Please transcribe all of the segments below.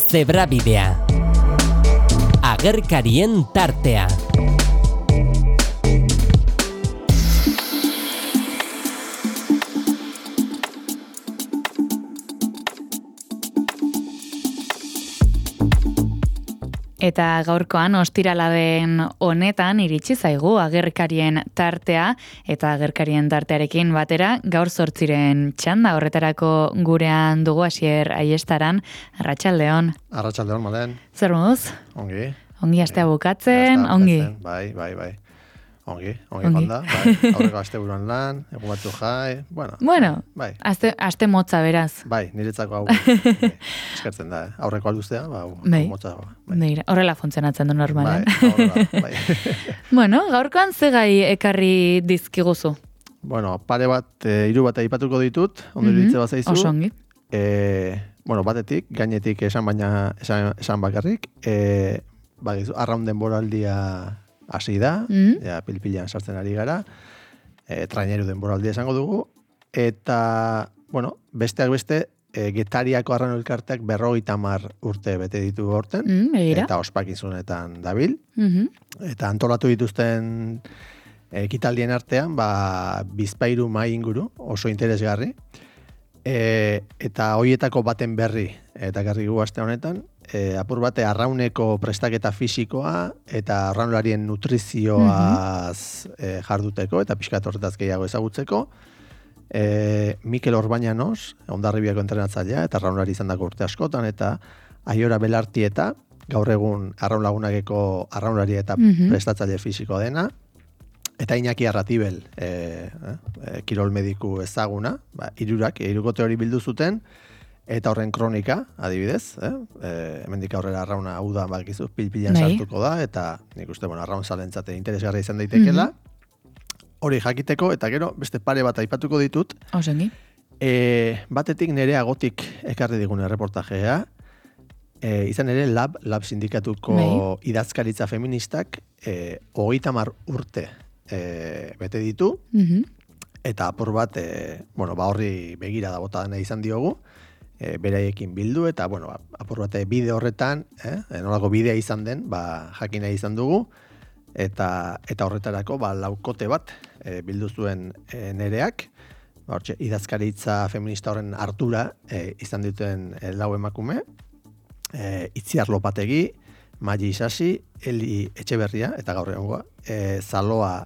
Zebrabidea. Agerkarien tartea. Eta gaurkoan ostirala den honetan iritsi zaigu agerkarien tartea eta agerkarien tartearekin batera gaur 8 txanda horretarako gurean dugu Asier Aiestaran. Arratsaldeon. Arratsaldeon, Malen. Zer moduz? Ongi. Ongi astea bukatzen, ongi. Bai. Ongi jonda, bai. Aurreko asteburuan lan, egun batzu jai, Bueno, bai. Aste motza beraz. Bai, niretzako hau eskertzen da, aurreko alduztea, motza. Bai. Horrela funtzionatzen du normalen. Bai. Bueno, gaurkoan ze gai ekarri dizkiguzu? Bueno, pare bat, 3 bat aipatuko ditut, ondo iritze bat zaizu. Oso ongi. Batetik, gainetik esan bakarrik, arraun denboraldia hasi da, pil-pilean sartzen ari gara, traineru denboraldia esango dugu, eta, besteak beste, Getariako arrano elkarteak 50 urte bete ditu horten, eta ospakizunetan dabil, eta antolatu dituzten ekitaldien artean, bizpahiru mahai inguru, oso interesgarri, eta hoietako baten berri, eta garri gu aste honetan, apur bate arrauneko prestaketa fisikoa eta arraularien nutrizioaz jarduteko eta pixkat horretaz gehiago ezagutzeko. Mikel Orbañanos, Hondarribiako entrenatzailea eta arraunlari izandako urte askotan, eta Aiora Belartieta, gaur egun arraun lagunakeko arraunlari eta prestatzaile fisikoa dena, eta Iñaki Arratibel, kirol mediku ezaguna, hirukote hori bildu zuten, eta horren kronika, adibidez, hemendik aurrera arrauna hau da, bakizu, pil-pilan sartuko da, eta nik uste, arraun zalentzate interesgarra izan daitekela, hori jakiteko, eta gero, beste pare bat aipatuko ditut. Osengi. Batetik nire agotik ekarri digun erreportajea, izan ere lab sindikatuko idazkaritza feministak 30 urte bete ditu, eta apur bat, horri begira da bota dena izan diogu, beraiekin bildu, eta, apur bat bide horretan, nolako bidea izan den, jakina izan dugu, eta horretarako, laukote bat bildu zuen nereak, idazkaritza feminista horren hartura izan duten lau emakume, Itziar Lopategi, Magi Isasi, Eli Etxeberria, eta gaur egongoa, Zaloa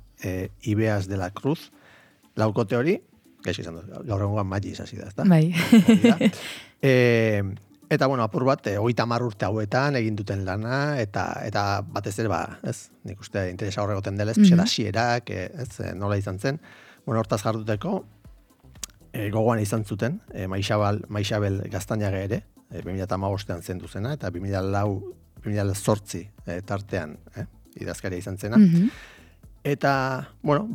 Ibeas de la Cruz, laukote hori, gaixo izan dut, gaur egongoa Magi Isasi da, ezta? Bai. Eta, apur bat, 30 urte hauetan egin duten lana, eta batez ere, nik uste interesa horregoten dela, hasierak, nola izan zen, hortaz jarduteko, gogoan izan zuten, Maixabel Gaztañaga ere, 2015an zendu zena, eta 2008 tartean idazkaria izan zena. Eta,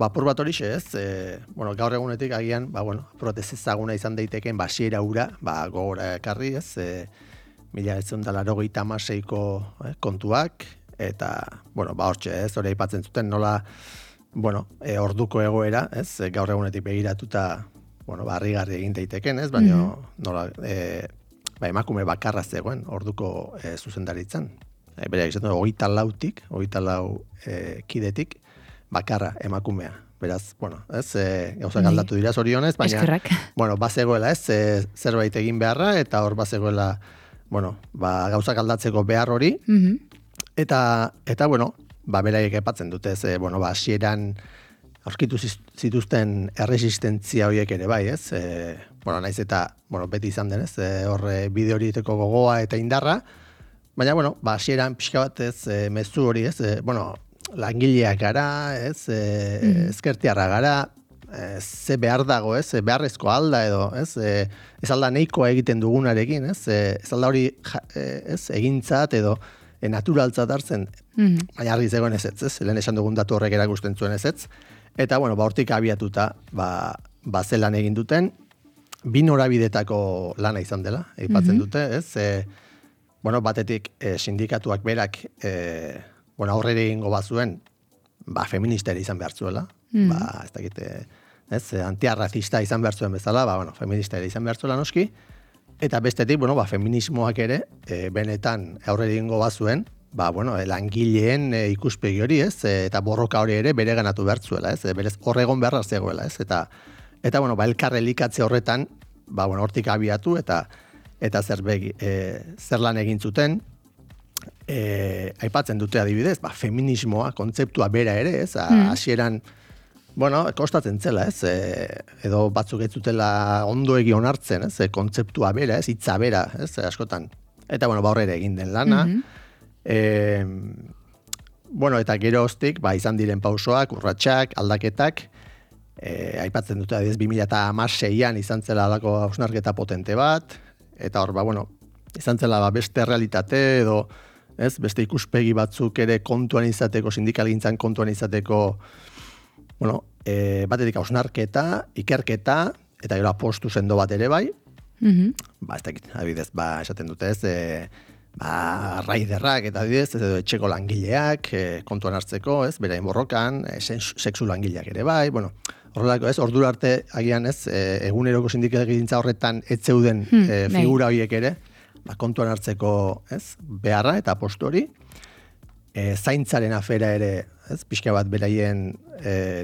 apur bat horixe ez, gaur egunetik agian, apur bat ez ezaguna izan daiteken, basiera ura, gogora ekarri ez, 1986ko kontuak, eta, hortxe ez, hori aipatzen zuten nola, orduko egoera, ez, gaur egunetik begiratuta, harrigarri egin daiteken ez, baina nola, emakume bakarra zegoen orduko zuzendaritzan. Bereak izan du, 24 kidetik, bakarra emakumea. Beraz, ez, gauzak aldatu dira zorionez, baina, eskerrak. Bazegoela ez, zerbait egin beharra, eta hor bazegoela, gauzak aldatzeko behar hori, eta beraiek epatzen dute, ez, hasieran aurkitu zituzten erresistentzia horiek ere bai, ez, naiz eta, beti izan den, ez, horre bide horieteko gogoa eta indarra, baina, hasieran pixka bat, ez, mezu hori, ez, langileak gara, ez, ezkertiarra gara, ze behar dago, ez, beharrezko alda edo, ez alda nahikoa egiten dugunarekin, ez alda hori, egintzat edo naturaltzat hartzen, baina argi zegoen ez, lehen esan dugun datu horrek erakusten zuen ez, eta, hortik abiatuta, zelan egin duten, 2 norabidetako lana izan dela, aipatzen dute, ez, batetik sindikatuak berak, aurrera egingo bazuen, feminista ere izan behar zuela, ez dakit, antiarrazista izan behar zuen bezala, feminista ere izan behar zuela noski, Eta bestetik, feminismoak ere, benetan aurre egingo bazuen, langileen ikuspegi hori, ez? Eta borroka hori ere bere ganatu bertzuela, ez? Berez horregon beharra zegoela, ez? Eta elkar elikatze horretan, hortik abiatu eta zer lan egin zuten, aipatzen dute adibidez, feminismoa, kontzeptua bera ere, ez? Hasieran, kostatzen zela, ez? Edo batzuk ez zutela ondo egi onartzen, ez? Kontzeptua bera, ez? Hitza bera, ez? Askotan. Eta, horre egin den lana. Eta geroztik, izan diren pausoak, urratsak, aldaketak, aipatzen dute adibidez 2016an izan zela alako hausnarketa potente bat, eta hor, izan zela beste realitate edo, ez? Beste ikuspegi batzuk ere kontuan izateko, sindikalgintzan kontuan izateko, batetik hausnarketa, ikerketa, eta gero apostu sendo bat ere bai. Ez dakit, adibidez, esaten dute ez, raiderrak eta adibidez, edo etxeko langileak, kontuan hartzeko, ez, berain borrokan, sexu langileak ere bai, horrelako ez, ordura arte agian ez, eguneroko sindikalgintza horretan etzeuden figura horiek ere, kontuan hartzeko ez, beharra eta apostu hori, zaintzaren afera ere, ez, pixka bat beraien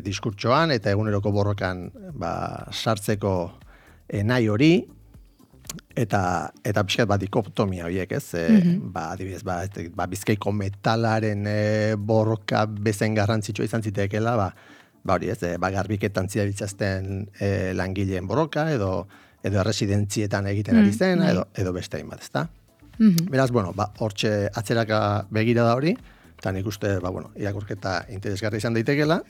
diskurtsoan eta eguneroko borrokan sartzeko nahi hori, eta pixkat bat dikotomia horiek, ez? Adibidez, Bizkaiko metalaren borroka bezen garrantzitsua izan zitekeela, hori ez, garbiketan zidabiltzazten langileen borroka, edo erresidentzietan egiten ari zen, edo beste hainbat, ezta? Beraz, hortxe atzeraka begira da hori, eta nik uste, irakurketa interesgarri izan daitekela.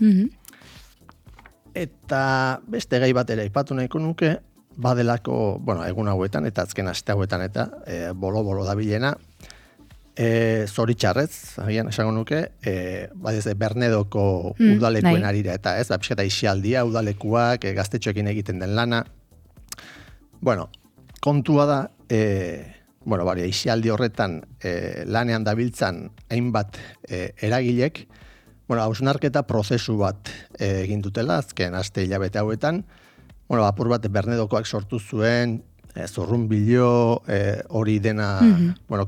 Eta beste gai bat ere aipatu nahiko nuke, badelako, egun hauetan, eta azken aste hauetan, eta bolo-bolo dabilena, zoritxarrez, agian esango nuke, Bernedoko udalekuen arira, eta ez, pixkata isialdia, udalekuak, gaztetxoekin egiten den lana. Kontua da, isialdi horretan lanean dabiltzan hainbat eragilek, hausnarketa prozesu bat egin dutela, azken aste hilabete hauetan, apur bat Bernedokoak sortu zuen, zurrunbilo hori dena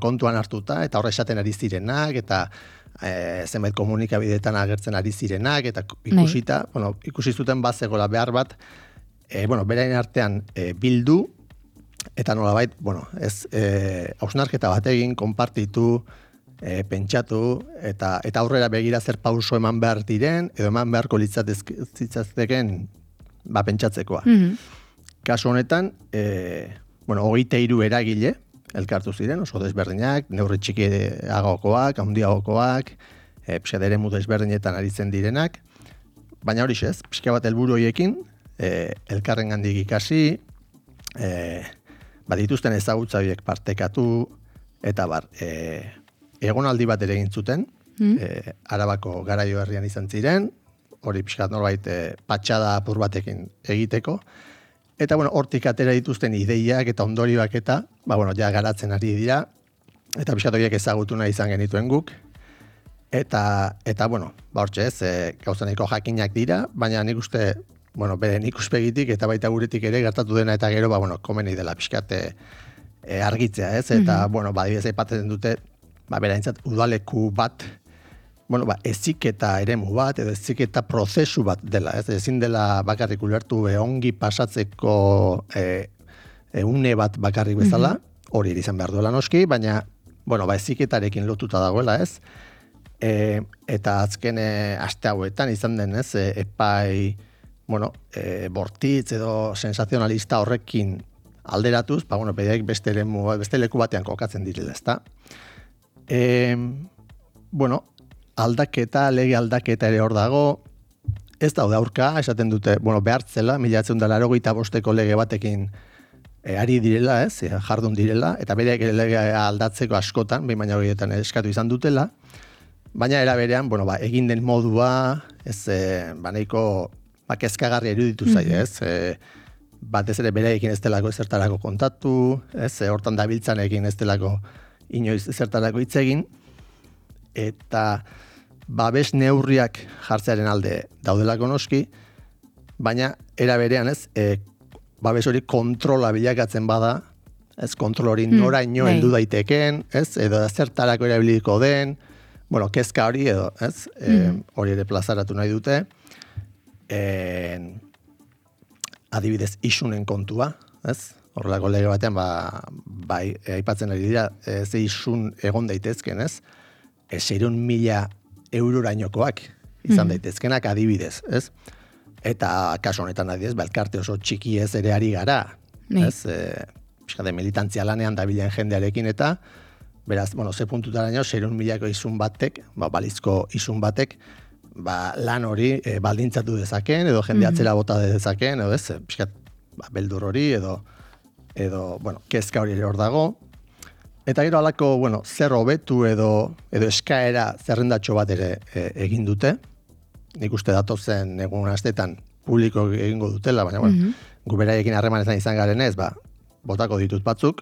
kontuan hartuta, eta horre esaten ari zirenak, eta zenbait komunikabideetan agertzen ari zirenak, eta ikusi zuten bazegola behar bat, berain artean bildu, eta nolabait, hausnarketa bat egin, konpartitu, pentsatu, eta aurrera begira zer pauso eman behar diren, edo eman beharko litzatzeken pentsatzekoa. Kasu honetan, 23 eragile elkartu ziren, oso desberdinak, neurri txikiagokoak, handiagokoak, pixka eremu desberdinetan aritzen direnak, baina hori ez, pixka bat helburu horiekin, elkarren gandik ikasi, dituzten ezagutza horiek partekatu, eta egonaldi bat ere egin zuten, Arabako Garaio herrian izan ziren, hori pixkat norbait patxada apur batekin egiteko, eta hortik atera dituzten ideiak eta ondorioak eta, ja garatzen ari dira, eta pixkat horiek ezagutu nahi izan genituen guk, eta hortxe ez, gauza nahiko jakinak dira, baina nik uste, beren ikuspegitik eta baita guretik ere gertatu dena eta gero, komeni dela pixkat argitzea ez, eta, badibidez aipatzen dute, beraintzat udaleku bat, eziketa eremu bat, edo eziketa prozesu bat dela, ez? Ezin dela bakarrik ulertu ongi pasatzeko une bat bakarrik bezala, hori izan behar duela noski, baina, eziketarekin lotuta dagoela, ez? Eta azken aste hauetan izan den, ez? Epai, bortitz edo sensazionalista horrekin alderatuz, bedeak beste leku batean kokatzen direla, ezta? Lege aldaketa ere hor dago, ez daude aurka, esaten dute, behartzela, 1985ko lege batekin ari direla, ez, jardun direla, eta bereak ere lege aldatzeko askotan, behin baina horietan eskatu izan dutela, baina era berean, egin den modua, ez, nahiko kezkagarri eruditu zaio, ez, batez ere bereekin ez delako ezertarako kontatu, ez, hortan dabiltzanekin ez delako inoiz ezertarako hitz egin, eta babes neurriak jartzearen alde daudelako noski, baina era berean ez, babes hori kontrola bilakatzen bada, ez kontrol hori noraino heldu daiteken, ez, edo zertarako erabiliko den, bueno, kezka hori edo, ez, hori ere plazaratu nahi dute, adibidez isunen kontua, ez, horrelako lege batean, bai, aipatzen ari dira, ze isun egon daitezken, ez, 600.000 eurorainokoak izan daitezkenak adibidez, ez, eta kasu honetan adibidez, elkarte oso txiki ez ere ari gara, ez, pixkate militantzia lanean dabilen jendearekin eta, beraz, bueno, ze puntutaraino, 600.000ko isun batek, balizko isun batek, lan hori baldintzatu dezaken, edo jende atzera bota dezaken, edo ez, pixkat, beldur hori, edo, bueno, kezka hori ere hor dago. Eta gero alako, bueno, zer hobetu edo eskaera zerrendatxo bat ere egin dute. Nik uste datozen egun astetan publiko egingo dutela, baina, bueno, gu beraiekin harremanetan izan garenez, botako ditut batzuk.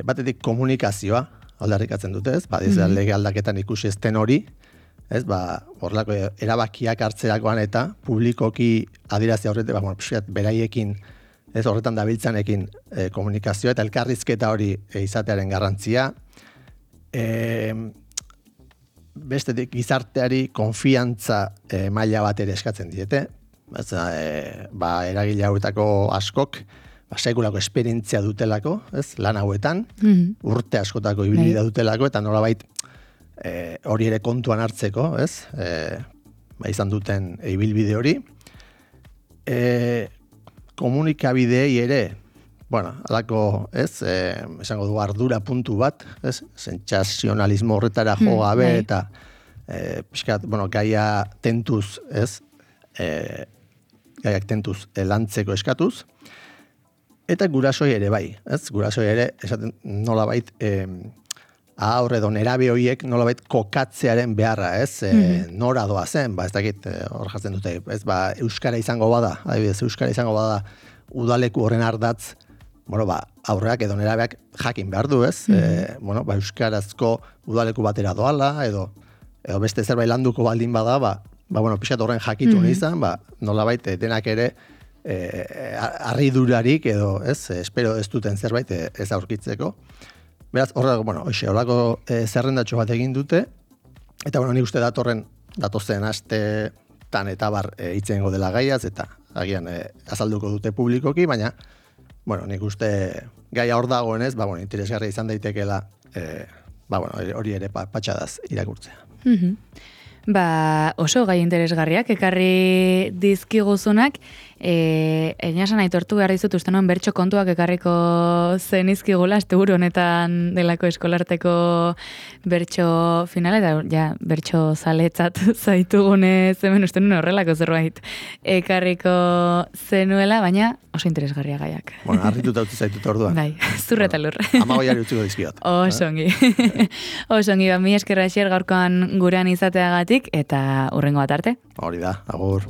Batetik komunikazioa aldarrikatzen dute, ez? Lege aldaketan ikusi ezten hori, ez? Horrelako erabakiak hartzerakoan eta publikoki adierazi horretik, beraiekin, ez horretan dabiltzanekin komunikazioa eta elkarrizketa hori izatearen garrantzia. Bestetik gizarteari konfiantza maila bat ere eskatzen diete. Eragile hauetako askok, sekulako esperientzia dutelako, ez, lan hauetan, urte askotako ibilbidea dutelako, eta nolabait hori ere kontuan hartzeko, ez, izan duten ibilbide hori. Komunikabideei ere, bueno, alako, ez, esango du ardura puntu bat, ez, sentsazionalismo horretara jo gabe, eta pixkat, bueno, gaia tentuz, ez, gaiak tentuz lantzeko eskatuz, eta gurasoi ere bai, ez? Gurasoi ere, esaten nolabait, aurre edo nerabe horiek nolabait kokatzearen beharra, ez? Nora doa zen, ez dakit, hor jartzen dute, ez? Euskara izango bada, adibidez, Euskara izango bada udaleku horren ardatz, bueno, aurreak edo nerabeak jakin behar du, ez? Bueno, euskarazko udaleku batera doala, edo beste zerbait landuko baldin bada, bueno, pixat horren jakitu izan, nolabait denak ere, harridurarik edo, ez, espero ez duten zerbait ez aurkitzeko. Beraz, horrelako zerrendatxo bat egin dute, eta, bueno, nik uste datozen astetan eta hitzengo dela gaiaz, eta agian azalduko dute publikoki, baina, bueno, nik uste gaia hor dagoenez, interesgarria izan daitekeela, hori ere patxadaz irakurtzea. Oso gai interesgarriak, ekarri dizkiguzunak, einasan aitortu behar dizut uste noen bertso kontuak ekarriko zenizkigula, asteburu honetan delako eskolarteko bertso finala, eta ja, bertso zaletzat zaitugunez, hemen uste nuen horrelako zerbait ekarriko zenuela, baina oso interesgarria gaiak. Bueno, harrituta utzi zaitut orduan. Bai, zurre eta lur. Amagoiari utziko dizkiot. Oso ongi. Oso ongi, mi eskerra gaurkoan gurean izateagatik, eta hurrengo bat arte. Hori da, agur.